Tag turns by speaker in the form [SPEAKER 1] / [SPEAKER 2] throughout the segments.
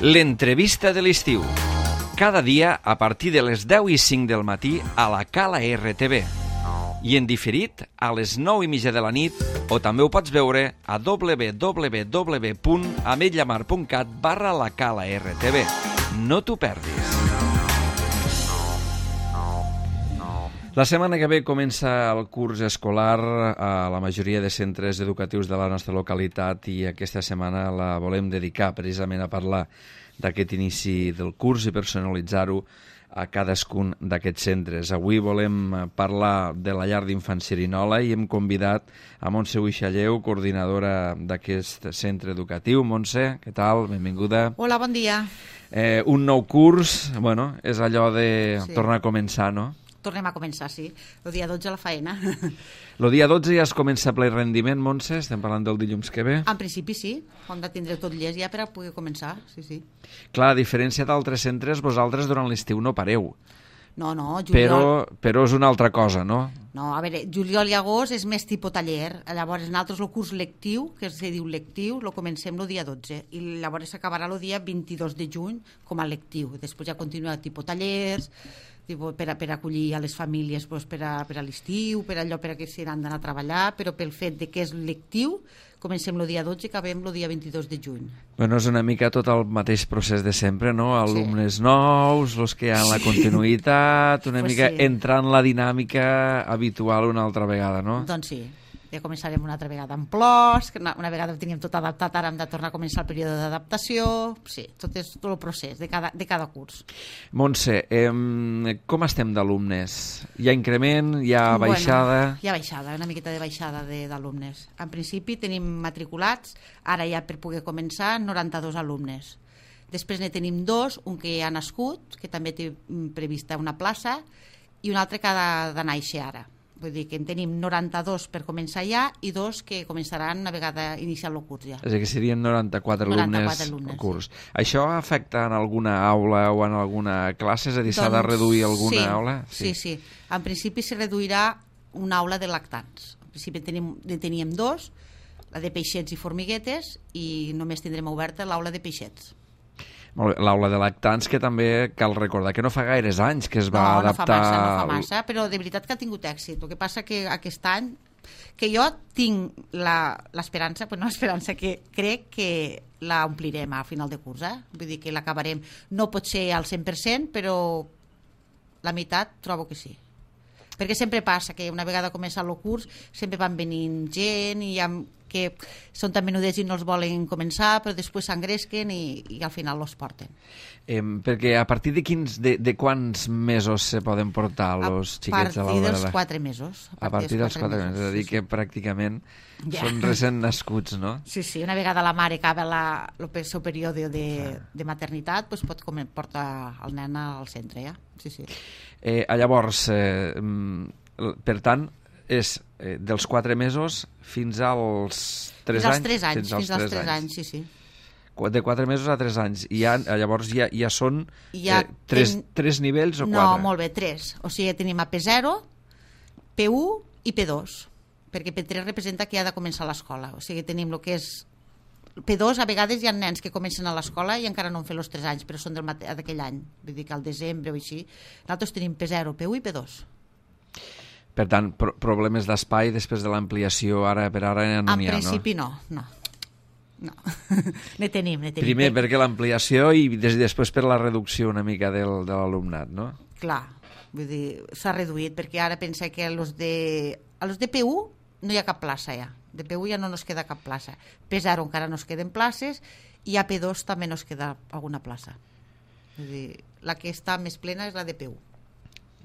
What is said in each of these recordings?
[SPEAKER 1] L'entrevista de l'estiu. Cada dia a partir de les 10:05 del matí a la Cala RTV. I en diferit a les 9:30 de la nit, o també ho pots veure a www.ametlllamar.cat/la Cala RTV. No t'ho perdis. La setmana que ve comença el curs escolar a la majoria de centres educatius de la nostra localitat i aquesta setmana la volem dedicar precisament a parlar d'aquest inici del curs i personalitzar-ho a cadascun d'aquests centres. Avui volem parlar de la llar d'infants Cerinola i hem convidat a Montse Uixalleu, coordinadora d'aquest centre educatiu. Montse, què tal? Benvinguda.
[SPEAKER 2] Hola, bon dia.
[SPEAKER 1] Un nou curs, bueno, és allò de tornar a començar, no?
[SPEAKER 2] Tornem a començar, sí. El dia 12 a la faena.
[SPEAKER 1] El dia 12 ja es comença ple rendiment, Montse? Estem parlant del dilluns que ve?
[SPEAKER 2] En principi sí, hem de tindre tot llest ja per a poder començar, sí.
[SPEAKER 1] Clar, a diferència d'altres centres, vosaltres durant l'estiu no pareu.
[SPEAKER 2] No, juliol...
[SPEAKER 1] Però és una altra cosa, no?
[SPEAKER 2] No, a veure, juliol i agost és més tipus taller. Llavors, nosaltres el curs lectiu, que es diu lectiu, lo comencem el dia 12 i llavors s'acabarà el dia 22 de juny com a lectiu. Després ja continua tipus tallers, per a acollir a les famílies per a l'estiu, per allò per a que s'han d'anar a treballar, però pel fet de que és lectiu comencem el dia 12 i acabem el dia 22 de juny.
[SPEAKER 1] Bueno, és una mica tot el mateix procés de sempre, no? Alumnes nous, els que hi ha en la continuïtat, una mica entrar en la dinàmica habitual una altra vegada, no?
[SPEAKER 2] Doncs sí. Ja començarem una altra vegada amb plors, que una vegada ho teníem tot adaptat, ara hem de tornar a començar el període d'adaptació, sí, tot és tot el procés de cada curs.
[SPEAKER 1] Montse, com estem d'alumnes? Hi ha increment, hi ha baixada?
[SPEAKER 2] Bueno, hi ha baixada, una miqueta de baixada d'alumnes. En principi tenim matriculats, ara ja per poder començar, 92 alumnes. Després ne tenim 2, un que ja ha nascut, que també té prevista una plaça, i un altre que ha de néixer ara. Vull dir que en tenim 92 per començar ja i 2 que començaran a vegada iniciar el curs ja.
[SPEAKER 1] És a dir, que serien 94 alumnes al curs. Sí. Això afecta en alguna aula o en alguna classe? És a dir, s'ha de reduir alguna aula?
[SPEAKER 2] Sí. En principi se reduirà una aula de lactants. En principi teníem 2, la de peixets i formiguetes, i només tindrem oberta l'aula de peixets.
[SPEAKER 1] L'aula de lactants, que també cal recordar que no fa gaires anys que es va adaptar...
[SPEAKER 2] No fa massa, però de veritat que ha tingut èxit. El que passa que aquest any, que jo tinc l'esperança, que crec que la omplirem a final de curs, vull dir que l'acabarem, no pot ser al 100%, però la meitat trobo que sí. Perquè sempre passa que una vegada començat el curs sempre van venint gent i que són tan menudets i no els volen començar, però després s'engresquen i al final els porten.
[SPEAKER 1] Perquè a partir de quants mesos se poden portar els xiquets a l'aula?
[SPEAKER 2] A partir dels 4 mesos.
[SPEAKER 1] A partir dels 4 mesos, és a dir que pràcticament són recent nascuts, no?
[SPEAKER 2] Sí, una vegada la mare acaba el seu període de maternitat, doncs pot portar el nen al centre, ja. Sí.
[SPEAKER 1] Llavors, per tant, és dels 4 mesos fins als 3 anys?
[SPEAKER 2] Fins als 3 anys, sí.
[SPEAKER 1] De 4 mesos a 3 anys. I llavors ja són 3 nivells o 4?
[SPEAKER 2] No, molt bé, 3. O sigui, tenim a P0, P1 i P2, perquè P3 representa que ha de començar l'escola. O sigui, tenim el que és P2, a vegades hi ha nens que comencen a l'escola i encara no han fet els 3 anys, però són d'aquell any, vull dir que al desembre o així. Nosaltres tenim P0, P1 i P2.
[SPEAKER 1] Per tant, problemes d'espai després de l'ampliació per ara no n'hi ha, no?
[SPEAKER 2] En principi no. Ne tenim.
[SPEAKER 1] Primer perquè l'ampliació i després per la reducció una mica de l'alumnat, no?
[SPEAKER 2] Clar, vull dir, s'ha reduït perquè ara pensa que a los de P1 no hi ha cap plaça ja. De P1 ja no nos queda cap plaça. P0 encara no es queden places i a P2 també no es queda alguna plaça. Vull dir, la que està més plena és la de P1.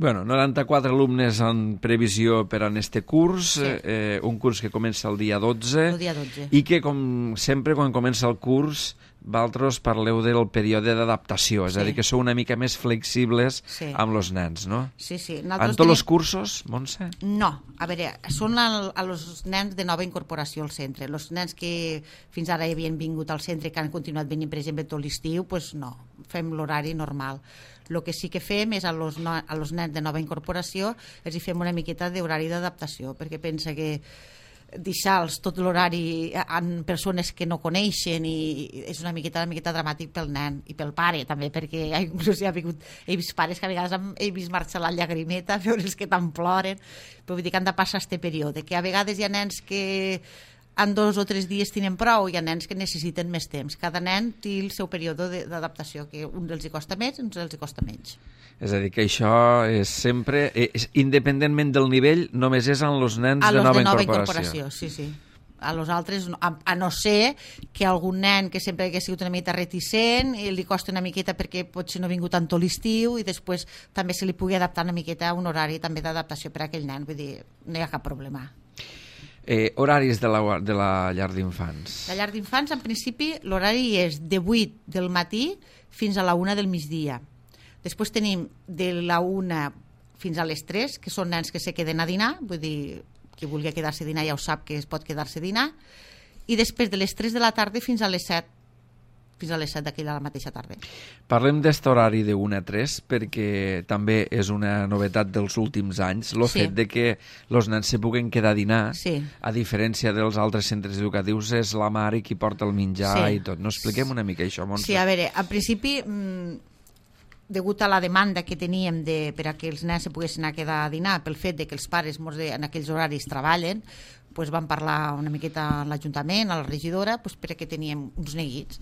[SPEAKER 1] Bueno, 94 alumnes en previsió per a este curs, un curs que comença el dia 12.
[SPEAKER 2] El dia 12.
[SPEAKER 1] I que, com sempre, quan comença el curs, vosaltres parleu del període d'adaptació, és a dir, que sou una mica més flexibles amb els nens, no?
[SPEAKER 2] Sí.
[SPEAKER 1] En tots els cursos, Montse?
[SPEAKER 2] No, a veure, són els nens de nova incorporació al centre. Els nens que fins ara havien vingut al centre i que han continuat venint, per exemple, tot l'estiu, doncs no, fem l'horari normal. El que sí que fem és a los nens de nova incorporació els hi fem una miqueta d'horari d'adaptació, perquè pensa que deixar-los tot l'horari en persones que no coneixen, i és una miqueta dramàtic pel nen i pel pare també, perquè inclús he vist pares que a vegades he vist marxar la llagrimeta, veure'ls que tant ploren, però vull dir que han de passar este període, que a vegades hi ha nens que en 2 o 3 dies tenen prou, i hi ha nens que necessiten més temps. Cada nen té el seu període d'adaptació, que un dels hi costa més i uns els hi costa menys.
[SPEAKER 1] És a dir, que això és sempre, independentment del nivell, només és en els nens de nova incorporació.
[SPEAKER 2] Sí. A los altres, a no ser que algun nen que sempre hagués sigut una miqueta reticent i li costa una miqueta perquè potser no ha vingut tant tot l'estiu, i després també se li pugui adaptar una miqueta a un horari també d'adaptació per a aquell nen, vull dir, no hi ha cap problema.
[SPEAKER 1] Horaris de la llar d'infants.
[SPEAKER 2] La llar d'infants, en principi, l'horari és de 8 del matí fins a la 1 del migdia. Després tenim de la 1 fins a les 3, que són nens que se queden a dinar, vull dir, qui vulgui quedar-se a dinar ja ho sap que es pot quedar-se a dinar, i després de les 3 de la tarda fins a les 7 d'aquella mateixa tarda.
[SPEAKER 1] Parlem d'este horari de 1 a 3 perquè també és una novetat dels últims anys, el fet de que els nens se puguen quedar a dinar, a diferència dels altres centres educatius, és la mare qui porta el menjar i tot. No expliquem una mica això, Montse?
[SPEAKER 2] Sí, a veure, en principi, degut a la demanda que teníem per a que els nens se poguessin a quedar a dinar, pel fet de que els pares en aquells horaris treballen, doncs vam parlar una miqueta a l'Ajuntament, a la regidora, perquè teníem uns neguits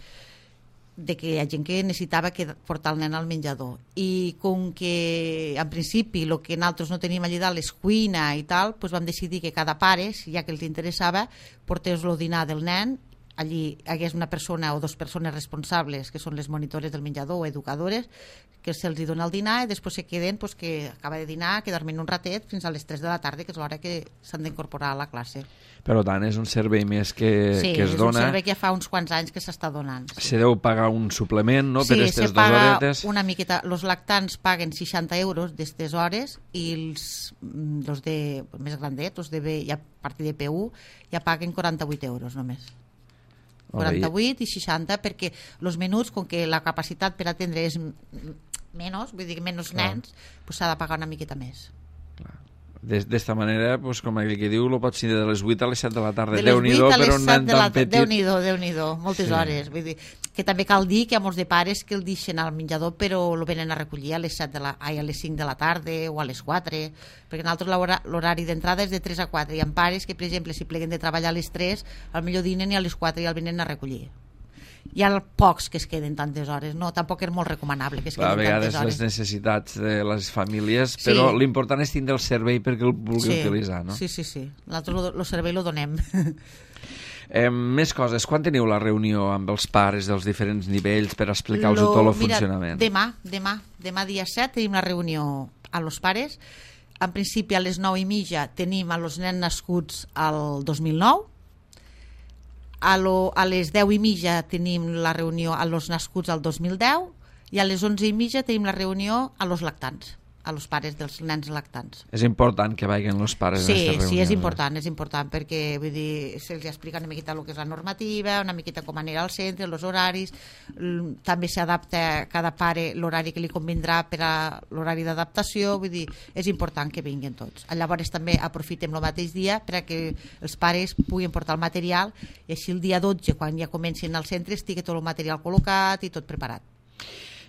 [SPEAKER 2] de que hi ha gent que necessitava portar el nen al menjador, i com que en principi el que nosaltres no teníem allà dalt és cuina i tal, doncs vam decidir que cada pare, ja que els interessava, portés-lo a dinar del nen. Allí hi hagués una persona o 2 persones responsables, que són les monitores del menjador o educadores, que se'ls dona el dinar, i després se queden, que acaba de dinar, quedar-me un ratet fins a les 3 de la tarda, que és l'hora que s'han d'incorporar a la classe.
[SPEAKER 1] Per tant, és un servei més que es dona.
[SPEAKER 2] Sí, és un servei que ja fa uns quants anys que s'està donant.
[SPEAKER 1] Se deu pagar un suplement, no?, per aquestes 2
[SPEAKER 2] horetes. Sí,
[SPEAKER 1] se
[SPEAKER 2] paga una miqueta. Els lactants paguen 60 euros d'aquestes hores, i els més grandets, els a partir de P1, ja paguen 48 euros només. 48 i 60, perquè els menuts, com que la capacitat per atendre és menys, vull dir, menys nens, s'ha de pagar una miqueta més.
[SPEAKER 1] D'esta manera, com aquell que diu, lo pots tindre de les 8 a les 7 de la tarda. Déu-n'hi-do per un nen tan petit.
[SPEAKER 2] Déu-n'hi-do, moltes hores. Vull dir, que també cal dir que hi ha molts de pares que el deixen al menjador, però el venen a recollir a les 5 de la tarda o a les 4, perquè nosaltres l'horari d'entrada és de 3 a 4. Hi ha pares que, per exemple, si pleguen de treballar a les 3, al millor dinen, i a les 4 ja el venen a recollir. Hi ha pocs que es queden tantes hores, no, tampoc és molt recomanable que es queden tantes hores.
[SPEAKER 1] A vegades les necessitats de les famílies, però l'important és tindre el servei perquè el vulgui utilitzar, no?
[SPEAKER 2] Sí. Nosaltres el servei el donem.
[SPEAKER 1] Més coses. Quan teniu la reunió amb els pares dels diferents nivells per explicar-los tot el funcionament?
[SPEAKER 2] Demà dia 7 tenim la reunió amb els pares. En principi a les 9:30 tenim a els nens nascuts al 2009. A les 10:30 tenim la reunió a los nascuts al 2010, i a les 11:30 tenim la reunió a los lactants, a los pares dels nens lactants.
[SPEAKER 1] És important que vagin els pares a aquesta reunió.
[SPEAKER 2] Sí, és important, perquè vull dir, se'ls explica una miqueta el que és la normativa, una miqueta com anirà al centre, els horaris, també s'adapta a cada pare l'horari que li convindrà per a l'horari d'adaptació, vull dir, és important que vinguin tots. Llavors també aprofitem el mateix dia per a que els pares puguin portar el material, i així el dia 12, quan ja comencin al centre, estigui tot el material col·locat i tot preparat.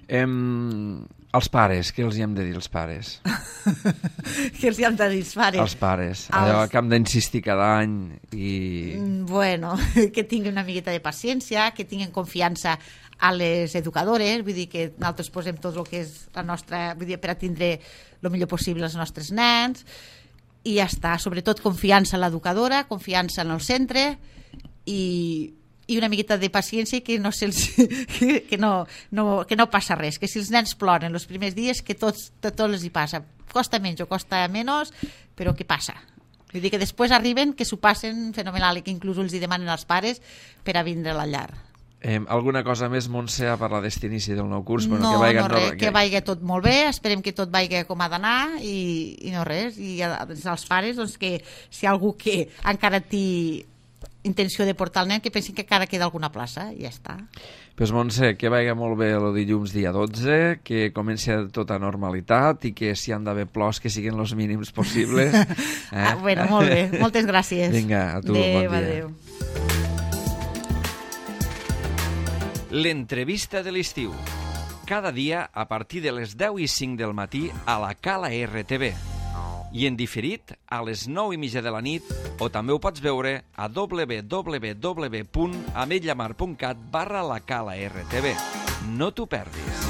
[SPEAKER 1] Els pares, què els hi hem de dir als pares?
[SPEAKER 2] Què els hi hem de dir als pares?
[SPEAKER 1] Els pares, allò que hem d'insistir cada any i...
[SPEAKER 2] Bueno, que tinguin una miqueta de paciència, que tinguin confiança a les educadores, vull dir que nosaltres posem tot el que és la nostra, vull dir, per a tindre el millor possible els nostres nens, i ja està, sobretot confiança en l'educadora, confiança en el centre, i una miqueta de paciència, que no passa res, que si els nens ploren els primers dies, que tot els hi passa, costa menys o costa menys, però què passa? Vull dir que després arriben, que s'ho passen fenomenal, i que inclús els hi demanen als pares per a vindre a la llar.
[SPEAKER 1] Alguna cosa més, Montse, a parlar d'aquest inici del nou curs?
[SPEAKER 2] No, res, que vagi tot molt bé, esperem que tot vagi com ha d'anar, i no res, i als pares, que si hi ha algú que encara té intenció de portar el nen, que pensin que encara queda alguna plaça, i ja està.
[SPEAKER 1] Pues Montse, que vagi molt bé el dilluns dia 12, que comenci tota normalitat i que si han d'haver plors que siguin els mínims possibles.
[SPEAKER 2] Bueno, molt bé, moltes gràcies.
[SPEAKER 1] Vinga, a tu,
[SPEAKER 2] adéu,
[SPEAKER 1] bon dia.
[SPEAKER 2] Adéu.
[SPEAKER 1] L'entrevista de l'estiu. Cada dia a partir de les 10:05 del matí a la Cala RTV. I en diferit a les 9:30 de la nit, o també ho pots veure a www.ametlllamar.cat/la Cala RTV. No t'ho perdis.